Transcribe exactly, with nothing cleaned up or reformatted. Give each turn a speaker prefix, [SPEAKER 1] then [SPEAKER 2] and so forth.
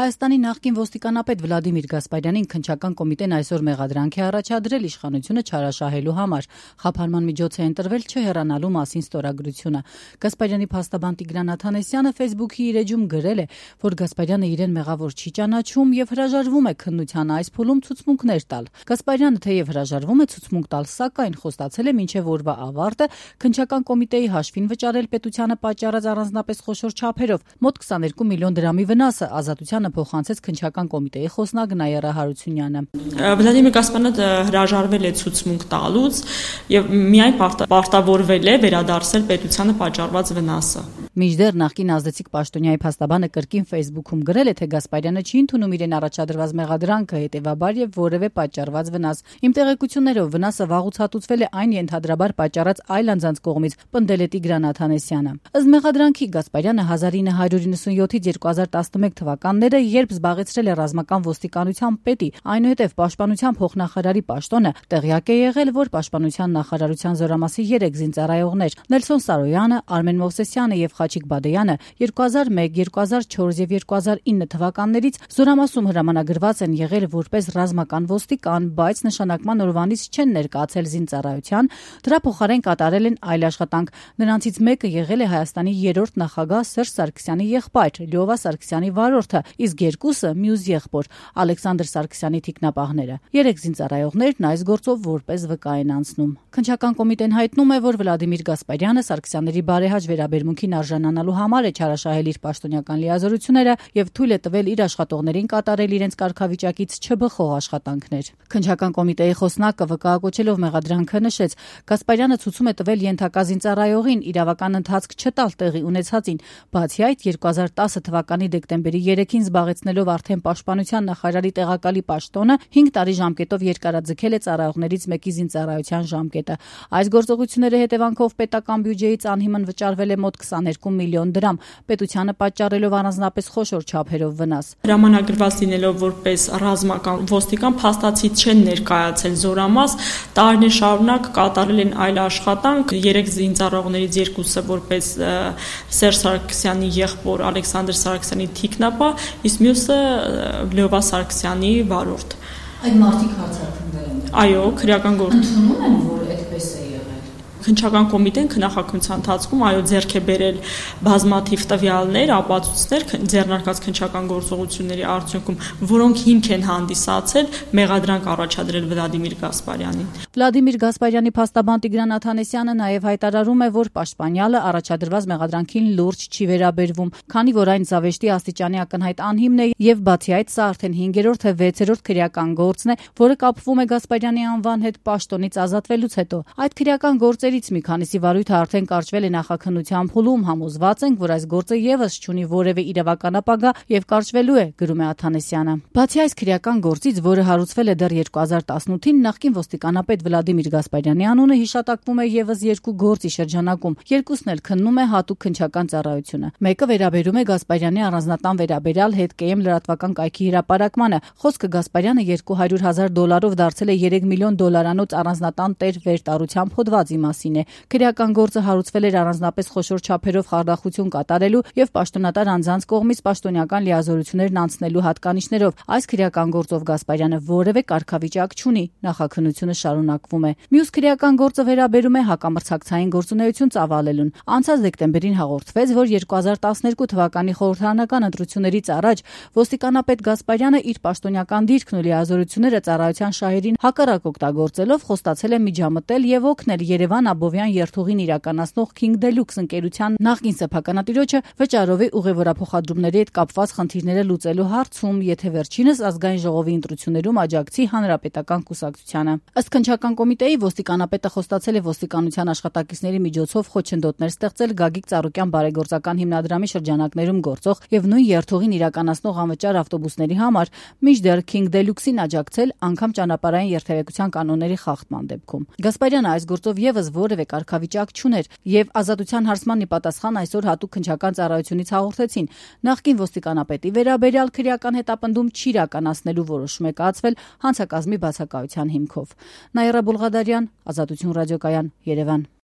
[SPEAKER 1] Հայաստանի նախկին ոստիկանապետ Վլադիմիր Գասպարյանին քննչական կոմիտեն այսօր մեղադրանք է առաջադրել իշխանությունը չարաշահելու համար։ Խափանման միջոց է ընտրվել չհեռանալու մասին ստորագրությունը։ Գասպարյանի փաստաբան Տիգրան Աթանեսյանը Facebook-ի իր էջում գրել է, որ Գասպարյանը իրեն մեղավոր չի ճանաչում եւ հրաժարվում է քննության այս փուլում ցուցմունքներ տալ։ Գասպարյանը թեև հրաժարվում է ցուցմունք տալ, սակայն խոստացել է մինչև օրվա ավարտը քննչական կոմիտեի հաշվին վճարել պետությանը պատճառած առանձնապես խոշոր չափերով մոտ քսաներկու միլիոն դրամի վնասը ազատությանը փոխանցեց քննչական կոմիտեի խոսնակ Նայիրա Հարությունյանը։
[SPEAKER 2] Վլադիմիր Գասպարյանը հրաժարվել է ցուցմունք տալուց եւ միայն պարտավորվել է վերադարձել պետությանը պատճառված վնասը։
[SPEAKER 1] Մինչդեռ նախկին ազդեցիկ պաշտոնյայի փաստաբանը կրկին Facebook-ում գրել է, թե Գասպարյանը չի ընդունում իրեն առաջադրված մեղադրանքը, հետևաբար եւ որևէ պատճառված վնաս։ Իմ տեղեկություններով վնասը վաղուց հատուցվել է այն ենթադրաբար պատճառած այլ անձանց կողմից, պնդել է Տիգրան Աթանեսյանը։ Ըստ մեղադրանքի Գասպարյանը հազար ինը հարյուր իննսունյոթից երկու հազար տասնմեկ թվականները, երբ զբաղեցրել է ռազմական ոստիկանության պետի, այնուհետև պաշտպանության փոխնախարարի պաշտոնը, տեղյակ է եղել, որ պաշտպանության նախարարության զորամասի երեք զինծառայողներ՝ Նելսոն Սարոյանը, Արմեն Մովսեսյանը եւ Խաչիկ Բադեյանը երկու հազար մեկ, երկու հազար չորս եւ երկու հազար ինը թվականներից զորամասում հրամանագրված են եղել որպես ռազմական ոստիկան, բայց նշանակման օրվանից չեն ներկայացել զինծառայության, դրա փոխարեն կատարել են այլ աշխատանք։ Նրանցից մեկը եղել է Հայաստանի երրորդ նախագահ Սերժ Սարգսյանի եղբայր Լյովա Սարգսյանի վարորդը, իսկ երկուսը մյուս եղբոր Ալեքսանդր Սարգսյանի թիկնապահները։ Երեք զինծառայողներն այս գործով որպես վկա են անցնում։ Քննչական կոմիտեն հայտնում է, որ Վլադիմիր Գասպարյանը Սարգսյանների բարեհաճ վերաբերմունքին արժանանալու համար է չարաշահել իր պաշտոնյական լիազորությունները եւ թույլ է տվել իր աշխատողներին կատարել իրենց կարգավիճակից չբխող աշխատանքներ։ Քննչական կոմիտեի խոսնակը վկայակոչելով մեղադրանքը նշեց, Գասպարյանը ցուցում է տվել ենթակա զինծառայողին իրավական ընթացք չտալ տեղի ունեցածին, բացի այդ երկու հազար տասը թվականի դեկտեմբերի երեքին զբաղեցնելով արդեն պաշտպանության նախարարի տեղակալի պաշտոնը հինգ տարի ժամկետով երկարաձգել է ծառայողներից մեկի զինծառայության ժամկետը։ Այս գործողությունների հետևանքով պետական բյուջեից անհիմն վճարվել է մոտ քսաներկու միլիոն դրամ, պետությանը պատճառելով առանձնապես խոշոր չափերով վնաս։
[SPEAKER 2] Հրամանագրված լինելով որպես ռազմական ոստիկան փաստացի չեն ներկայացել զորամաս, տարիներ շարունակ կատարել են այլ աշխատանք, երեք զինծառայողներից երկուսը որպես Սերժ Սարգսյանի եղբոր Ալեքսանդր Սարգսյանի թիկնապահ, իսկ մյուսը Լյովա Սարգսյանի վարորդ։
[SPEAKER 1] Այդ մարդիկ հարձակվել են։
[SPEAKER 2] Այո, քրեական գործ։
[SPEAKER 1] Ընդունում են, որ այդպես է եղել։
[SPEAKER 2] Քննչական կոմիտեն քննախագահության ընթացքում այո ձեռք է բերել բազմաթիվ տվյալներ, ապացույցներ ձեռնարկած քննչական գործողությունների արդյունքում, որոնք հիմք են հանդիսացել մեղադրանք առաջադրել Վլադիմիր Գասպարյանին։
[SPEAKER 1] Վլադիմիր Գասպարյանի փաստաբան Տիգրան Աթանեսյանը նաև հայտարարում է, որ պաշտպանյալը առաջադրված մեղադրանքին լուրջ չի վերաբերվում, քանի որ այն զավեշտի աստիճանի ակնհայտ անհիմն է եւ բացի այդ սա արդեն հինգերորդ թե վեցերորդ քրեական գործն է, որը կապվում է Գասպարյանի անվան հետ պաշտոնից ազատվելուց հետո։ Այդ քրեական գործերից մի քանիսի վարույթը արդեն կարճվել է նախաքննության փուլում, համոզված ենք, որ այս գործը եւս չունի որևէ իրավական ապագա եւ կարճվելու է, գրում է Աթանեսյանը։ Բացի այս քրեական գործից, որը հարուցվել է դեռ երկու հազար տասնութին, նախկին ոստիկանապետ Վլադիմիր Գասպարյանի անունը հիշատակվում է եւս երկու գործի շրջանակում։ Երկուսն էլ քննում է հատուկ քննչական ծառայությունը։ Մեկը վերաբերում է Գասպարյանի առանձնատան վերաբերյալ հետկեմ լրատվական կայքի հրապարակմանը։ Խոսքը Գասպարյանը երկու հարյուր հազար դոլարով դարձել է երեք միլիոն դոլարանոց առանձնատան տեր վերտարությամբ հոդվածի մասին է։ Քրեական գործը հարուցվել էր առանձնապես խոշոր չափերով խարդախություն կատարելու եւ պաշտոնատար անձանց կողմից պաշտոնական լիազորություններն անցնելու հատկանիշներով։ Այս քրեական գործով Գասպարյանը որևէ կարգավիճակ չունի, նախաքննությունը շարունակվում է։ Մյուս քրեական գործը վերաբերում է հակամրցակցային գործունեություն ծավալելուն։ Անցած դեկտեմբերին հաղորդվեց, որ երկու հազար տասներկու թվականի խորհրդարանական ընտրություններից առաջ ոստիկանապետ Գասպարյանը իր պաշտոնյական դիրքն ու լիազորությունները ծառայության շահերին հակառակ օգտագործելով խոստացել է միջամտել եւ օգնել Երևան Աբովյան երթուղին իրականացնող King Deluxe ընկերության նախկին սեփականատիրոջը վճարովի ուղևորափոխադրումների հետ կապված խնդիրները լուծելու հարցում, եթե վերջինս ազգային ժողովի ընտրություններում աջակցի հանրապետական կուսակցությանը։ Ըստ քննչական կոմիտեի ոստիկանապետը խոստացել է ոստիկանության աշխատակիցների միջոցով խոչընդոտներ ստեղծել Գագիկ Ծառուկյան բարեգործական հիմնադրամի շրջանակներում գործող եւ նույն երթուղին իրականացնող անվճար ավտոբուսների համար, մինչդեռ King Deluxe-ին աջակցել անգամ ճանապարհային երթևեկության կանոնների խախտման դեպքում։ Գասպարյանը այս գործով եւս որևէ կարգավիճակ չուներ եւ ազատության հարցման ի պատասխան այսօր հատուկ քննչական ծառայությունից հաղորդեցին նախկին ոստիկանապետի վերաբերյալ քրեական հետապնդում չիրականացնելու որոշում է կայացվել հանցակազմի բացակայության հիմքով։ Նայիրա Բուլղադարյան, Ազատություն ռադիոկայան, Երևան։